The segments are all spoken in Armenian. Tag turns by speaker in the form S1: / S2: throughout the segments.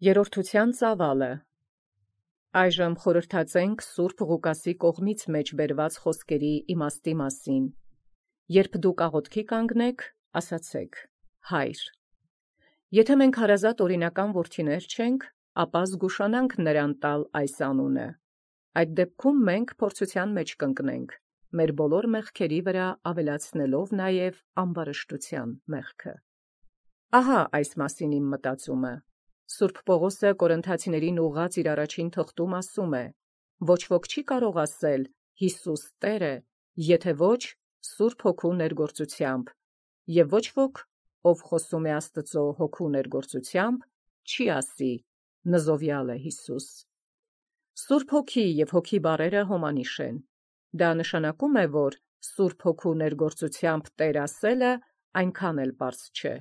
S1: Երրորդության ծավալը։ Այժմ խորհրդածենք Սուրբ Ղուկասի կողմից մեջ բերված խոսքերի իմաստի մասին։ Երբ դուք աղոթքի կանգնեք, ասացեք. Հայր։ Եթե մենք հարազատ օրինական որդիներ չենք, ապա զգուշանանք նրան տալ այս անունը։ Այդ դեպքում մենք փորձության մեջ կընկնենք, մեր բոլոր մեղքերի վրա ավելացնելով նաև ամբարշտության մեղքը։ Ահա այս մասին իմ մտածումը։ Սուրբ Պողոսը Կորինթացիներին ուղղած իր առաջին թղթում ասում է. ոչ ոք չի կարող ասել Հիսուս Տեր է, եթե ոչ Սուրբ Հոգու ներգործությամբ, և ոչ ոք, ով խոսում է Աստծո Հոգու ներգործությամբ, չի ասի նզովյալ է Հիսուս։ Սուրբ Հոգի և Հոգի բառերը հոմանիշ են։ Դա նշանակում է, որ Սուրբ Հոգու ներգործությամբ Տեր ասելը այնքան էլ պարզ չէ։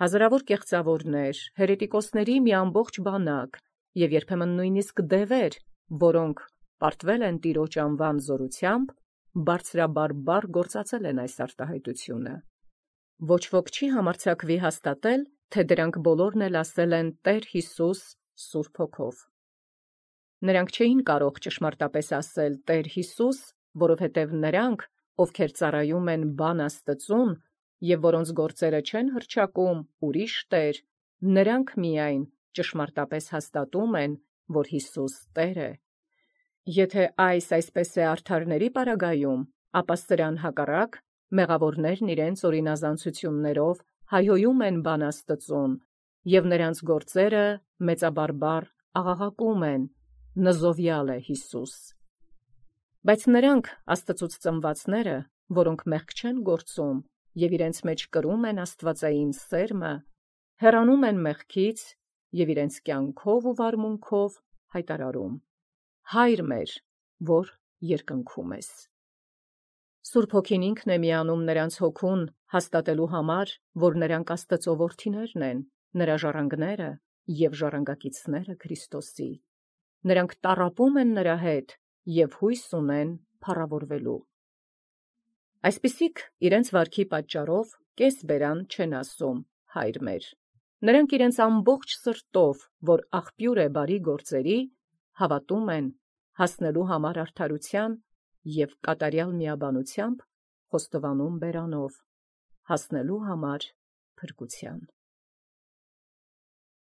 S1: Հազարավոր կեղծավորներ, հերետիկոսների մի ամբողջ բանակ և երբեմն նույնիսկ դևեր, որոնք պարտվել են Տիրոջ անվան զորությամբ, բարձրաբարբառ գործածել են այս արտահայտությունը։ Ոչ ոք չի համարձակվի հաստատել, թե դրանք բոլորն էլ ասել են Տեր Հիսուս Սուրբ Հոգով։ Նրանք չէին կարող ճշմարտապես ասել Տեր Հիսուս, որովհետև նրանք, ովքեր ծառայում են բան Աստծուն և որոնց գործերը չեն հռչակում ուրիշ տեր, նրանք միայն ճշմարտապես հաստատում են, որ Հիսուս Տեր է։ Եթե այսպես է արդարների պարագայում, ապա սրան հակառակ մեղավորներն իրենց օրինազանցություններով հայհոյում են բան Աստծուն, և նրանց գործերը մեծաբարբառ աղաղակում են. նզովյալ է Հիսուս։ Բայց նրանք Աստծուց ծնվածները, որոնք մեղք չեն գործում և իրենց մեջ կրում են աստվածային սերմը, հեռանում են մեղքից և իրենց կյանքով ու վարմունքով հայտարարում. Հայր մեր, որ երկնքում ես։ Սուրբ Հոգին ինքն է միանում նրանց հոգուն հաստատելու համար, որ նրանք Աստծո որդիներն են, նրա ժառանգները և ժառանգակիցները Քրիստոսի։ Նրանք տառապում են նրա հետ և հույս ունեն փառավորվելու։ Այսպիսիք իրենց վարքի պատճառով կես-բերան չեն ասում Հայր մեր։ Նրանք իրենց ամբողջ սրտով, որ աղբյուր է բարի գործերի, հավատում են հասնելու համար արդարության և կատարյալ միաբանությամբ խոստովանում բերանով հասնելու համար փրկության։